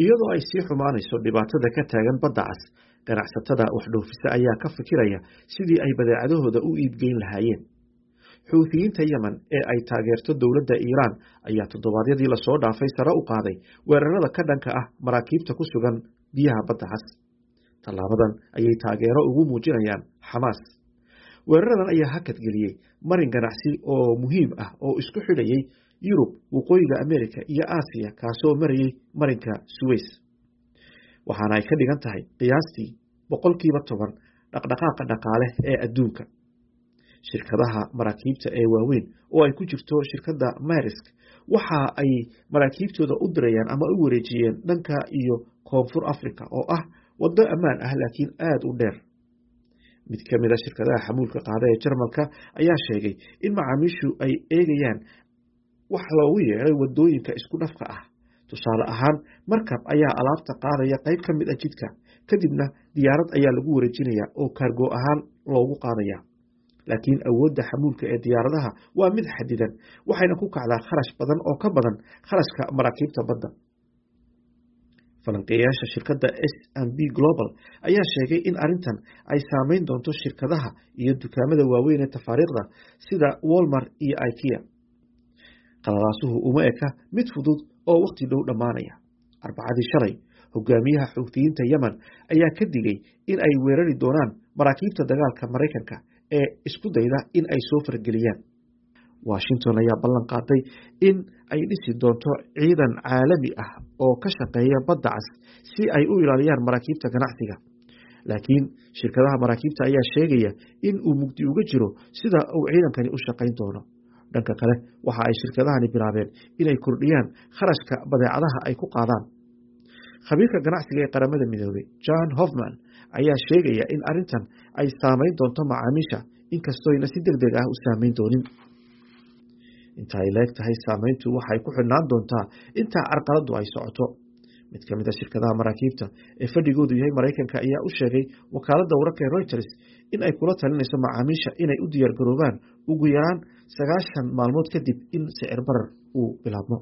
Iyadoo ay sii xumaanayso dhibaatada ka taagan badda cas, ganacsatada wax dhoofisa ayaa ka fikiraya sidii ay badeecadahooda u iibgeyn lahaayeen. Xuuthiyiinta Yemen ee ay taageerto dowladda Iiraan ayaa toddobaadyadii lasoo dhaafay sare u qaaday weerarada ka dhanka ah maraakiibta ku sugan biyaha badda cas. Tallaabadan ayay taageero ugu muujinayaan Xamaas. Weeraradan ayaa hakad geliyey marin ganacsi oo muhiim ah oo isku xidhayay Yurub, Waqooyiga Ameerika iyo Aasiya, kaasoo marayay marinka Suez. Waxaana ay ka dhigan tahay qiyaastii 10% dhaqdhaqaaqa dhaqaale ee adduunka. Shirkadaha maraakiibta ee waaweyn oo ay ku jirto shirkadda Maersk waxa ay maraakiibtooda u dirayaan ama u wareejiyeen dhanka iyo Koonfur Afrika oo ah waddo ammaan ah laakiin aad u dheer. Mid ka mid ah shirkadaha xamuulka qaada ee Jarmalka ayaa sheegay in macaamiishu ay eegayaan wax loogu yeeray waddooyinka isku dhafka ah. Tusaale ahaan, markab ayaa alaabta qaadaya qayb ka mid ah jidka, kadibna diyaarad ayaa lagu wareejinayaa oo kaargo ahaan loogu qaadayaa. Laakiin awoodda xamuulka ee diyaaradaha waa mid xadidan, waxayna ku kacdaa kharash badan oo ka badan kharashka maraakiibta badda. Falanqeeyayaasha shirkadda S&P Global ayaa sheegay in arrintan ay saameyn doonto shirkadaha iyo dukaamada waaweyn ee tafaariiqda sida Walmart iyo IKEA. Qalalaasuhu uma eka mid fudud oo waqti dhow dhammaanaya. Arbacadii shalay, hogaamiyaha Xuuthiyiinta Yemen ayaa ka digay in ay weerari doonaan maraakiibta dagaalka Maraykanka ee isku dayda in ay soo farageliyaan. Washington ayaa ballan qaaday in ay dhisi doonto ciidan caalami ah oo ka shaqeeya badda cas si ay u ilaaliyaan maraakiibta ganacsiga. Laakiin shirkadaha maraakiibta ayaa sheegaya in uu mugdi uga jiro sida uu ciidankani u shaqayn doono. Dhanka kale, waxa ay shirkadahani bilaabeen inay kordhiyaan kharashka badeecadaha ay ku qaadaan. Khabiirka ganacsiga ee Qaramada Midoobay, John Hoffman, ayaa sheegaya in arrintan ay saameyn doonto macaamiisha, inkastooyna si degdeg ah u saameyn doonin. Inta ay le'eg tahay saameyntu waxay ku xidhnaan doontaa inta carqaladdu ay socoto. Mid ka mid ah shirkadaha maraakiibta ee fadhigoodu yahay Maraykanka ayaa u sheegay wakaaladda wararka ee Reuters in ay kula talinayso macaamiisha inay u diyaargaroobaan ugu yaraan 90 maalmood kadib in sicir barar uu bilaabmo.